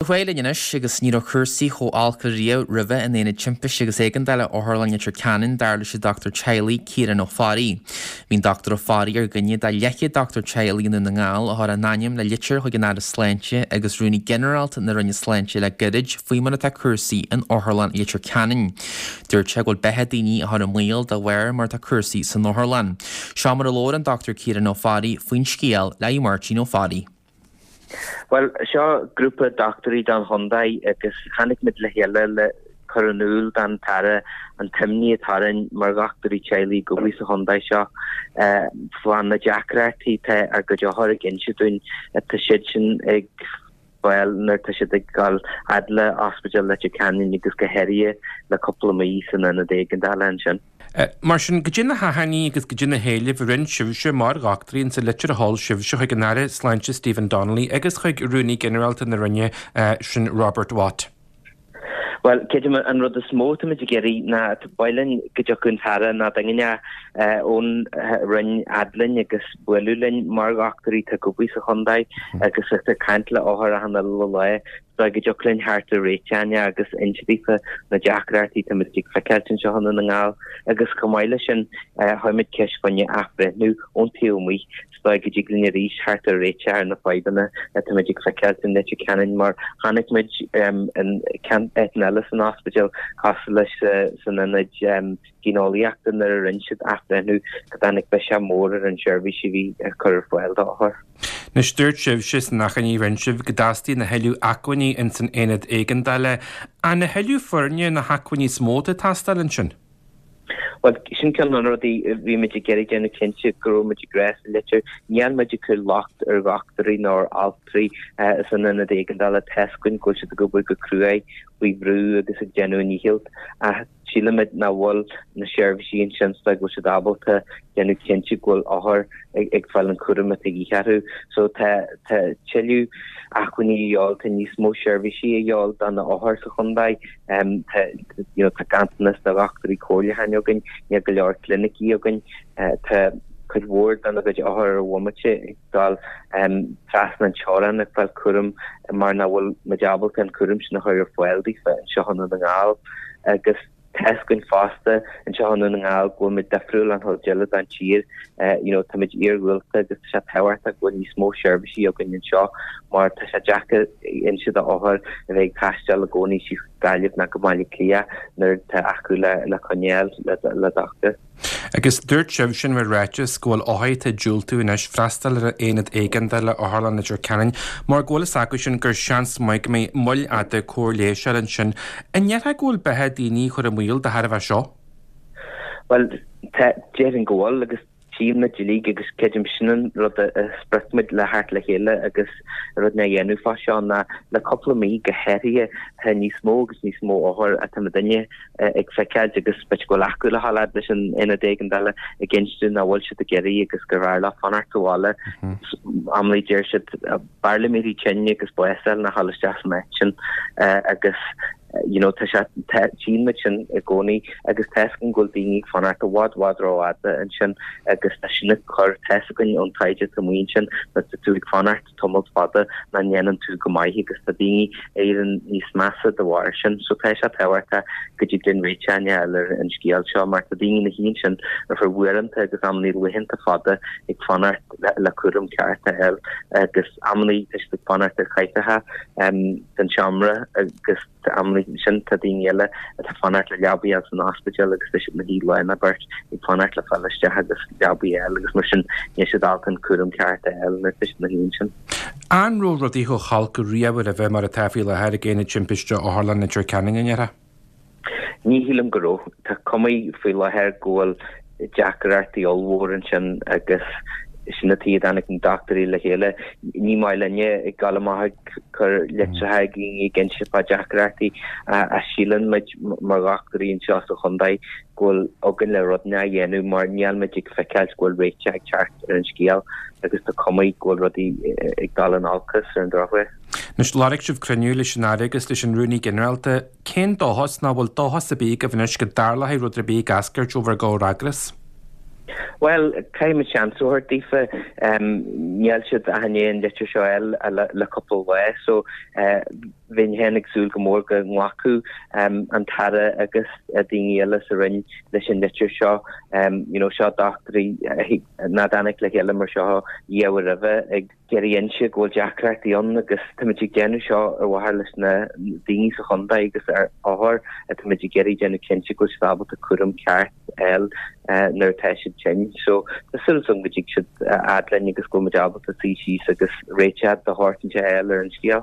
Ar aghaidh linn anois agus ní raibh cúrsaí chomh holc riamh roimhe in Aonad Timpiste agus Éigeandála Otharlann Leitir Ceanainn, dar leis an dochtúir teaghlaigh Ciarán Ó Fearraigh. Bhí an Dr Ó Fearraigh ar dhuine de leathchéad dochtúir teaghlaigh i nDún na nGall a chuir a n-ainm le litir chuig an Aire Sláinte agus Rúnaí Ginearálta na Roinne Sláinte le gairid faoi mar atá cúrsaí in Otharlann Leitir Ceanainn. Dúirt sé go bhfuil beatha daoine á chur i mbaol de bharr mar atá cúrsaí san otharlann. Seo mar a labhair an Dr Ciarán Ó Fearraigh faoin scéal le Máirtín Ó Fearraigh. Bhuel, seo grúpa dochtúirí don chontae agus tháinig muid le chéile le cur in iúl don tAire an t-imní atá orainn mar dhochtúirí teaghlaigh ag obair sa chontae seo fá na deacrachtaí atá ár gcuid othar ag inse dúinn atá siad sin ag fáil nuair atá siad ag dul fhad le Ospidéal Leitir Ceanainn agus go háirithe le cúpla mí san ionad éigeandála ansin. Mar sin, goidé na hachainí agus goidé na héilimh a rinne sibhse mar dhochtúirí insa litir a sheol sibhse chuig an Aire Sláinte Stephen Donnelly agus chuig Rúnaí Ginearálta na Roinne sin Robert Watt? Bhuel, creidim an rud is mó atáimid ag iarraidh ná ba mhaith linn go dtiocfadh an tAire nó duine ón Roinn fhad linn agus bualadh linn mar dhochtúirí atá ag obair sa chontae agus atá ag caint le othair achan uile lá. Is dóigh go dtiocfadh linn theacht ar réiteach agus inse daofa na deacrachtaí atá muid ag feiceáilt anseo i nDún na nGall agus chomh maith leis sin chuir muid ceist fá choinne athbhreithniú ón taobh amuigh is dóigh go dtig linn arís theacht ar réiteach ar na fadhbanna atá muid ag feiceáilt in Leitir Ceanainn mar chonaic muid in áiteanna eile san ospidéal cosúil leis san ionad géineolaíochta nuair a rinne siad athbhreithniú go dtáinig biseach mór ar an seirbhís a bhí á cur ar fáil d'othair. Anois dúirt sibhse san achainí a rinne sibh go dteastaíonn a thuilleadh acmhainní ins an aonad éigeandála. An a thuilleadh foirne na hacmhainní is mó atá ag teastáil ansin? Bhuel, sin ceann de na rudaí a bhí muid ag iarraidh déanamh cinnte go raibh muid ag rá sa litir. Níl muid ag cur locht ar dhochtúirí ná ar altraí san ionad éigeandála. Tá's againn go bhfuil siad ag obair go cruaidh faoi bhrú agus ag déanamh a ndícheall ach sílimid nach bhfuil na seirbhísí ansin is dóigh go bhfuil siad ábalta déanamh cinnte go bhfuil othair ag fáil an cúram atá de dhíth orthu. So tá tá tuilleadh acmhainní a dhíobháil, tá níos mó seirbhísí a dhíobháil do na othair sa chontae. Tá you know tá ganntanas de dhochtúirí comhairliúcháin againn, níl go leor clinicí againn. Tá cuid mhór dena gcuid othar ar an bhomaite ag dul trasna an teorainn ag fáil cúram mar nach bhfuil muid ábalta an cúram sin a chur ar fáil daofa anseo i nDún na nGall agus tá's againn fosta anseo i Ndún na nGall go bhfuil muid difriúil ón chuid eile den tír you know tá muid iarghúlta agus tá sé tábhachtach go bhfuil níos mó seirbhísí againn anseo mar tá sé deacair inse d'othair a bheith ag taisteal i gcónaí síos Gaillimh nó go Baile Átha Cliath nuair atá acu le le coinneáil le le dochtúir. Agus dúirt sibh in bhur ráiteas go bhfuil othair atá ag diúltú anois freastal ar an aonad éigeandála Otharlann Leitir Ceanainn mar go bhfuil fhios acu sin gur seans maith go mbeidh moill fhada cóir leighis a fháil ansin. An ndéarfá go bhfuil beatha daoine á chur i mbaol de thairbhe seo? Bhuel, tá, déarfainn go bhfuil agus tchíonn muid uilig agus creidim sin an rud a sprioc muid le theacht le chéile agus rud a dhéanamh fá seo ná le cúpla mí go háirithe tá níos mó agus níos mó othar atá muidinne ag feiceáilt agus b'fhéidir go bhfuil acu le dhul fhad leis an aonad éigeandála ag inse dúinn nach bhfuil siad ag iarraidh agus gur bhfearr leo fanacht sa bhaile. Amannaí deir siad b'fhearr liom éirí tinn agus bás a fháil ná dhul isteach san áit sin agus you know tá sé tá tchíonn muid sin i gcónaí agus tá's againn go bhfuil daoine ag fanacht i bhfad bhfad rófhada ansin agus tá sin ag cur tá's againn ón taighde atá amuigh ansin nuair tá tú ag fanacht tamalt fada nach ndéanann tú go maith agus tá daoine ag éirí níos measa de bharr sin. So tá sé tábhachtach go dtig linn réiteach a fháil ar an scéal seo mar tá daoine ina shuí ansin ar feadh uaireanta agus amannaí laethanta fada ag fanacht le cúram ceart a fháil agus amannaí tá siad ag fanacht ar chathaoireacha san seomra agus amannaí ansin tá daoine eile atá ag fanacht le leabaí a fháil san ospidéal agus tá siad ina shuí lá nó beirt ag fanacht le fáil isteach agus leabaí a fháil agus mar sin níl siad ábalta an cúram ceart a fháil nuair atá siad ina shuí ansin. An raibh rudaí chomh holc riamh roimhe mar atá faoi láthair ag Aonad Timpiste Otharlann Leitir Ceanainn, an ndéarfá? Ní shílim go raibh. Tá cuma faoi láthair go bhfuil deacrachtaí ollmhór ansin agus sin an tuige a dtáinig na dochtúirí le chéile. Ní maith linne ag dul amach ag cur litreacha ag daoine ag inse fá deacrachtaí ach síleann muid mar dhochtúirí anseo sa chontae go bhfuil againn le rud a dhéanamh mar níl muid ag feiceáilt go bhfuil réiteach ag teacht ar an scéal agus tá cuma go bhfuil rudaí ag dul in olcas ar an drochuair. Anois, lorg sibh cruinniú leis an Aire agus leis an Rúnaí Ginearálta. Cén dóchas, nó an bhfuil dóchas ar bith agaibh anois go dtarlóidh rud ar bith ag eascairt ó bhur gcomhfhreagras? Bhuel, caithfidh muid seans a thabhairt daofa. Níl siad ach i ndiaidh an litir seo a fháil le cúpla lá so bheinn féin ag súil go mór go nglacfadh an tAire agus daoine eile sa Roinn leis an litir seo. You know, seo dochtúirí nach dtáinig le chéile mar seo riamh roimhe ag iarraidh inse go bhfuil deacrachtaí ann agus táimid ag déanamh seo ar mhaithe leis na daoine sa chontae agus ar othair táimid ag iarraidh déanamh cinnte go bhfuil siad ábalta cúram ceart a fháil nuair atá siad tinn. So tá súil agam go dtig siad a fhad linn agus go bhfuil muid ábalta suí síos agus réiteach de shórt inteacht a fháil ar an scéal.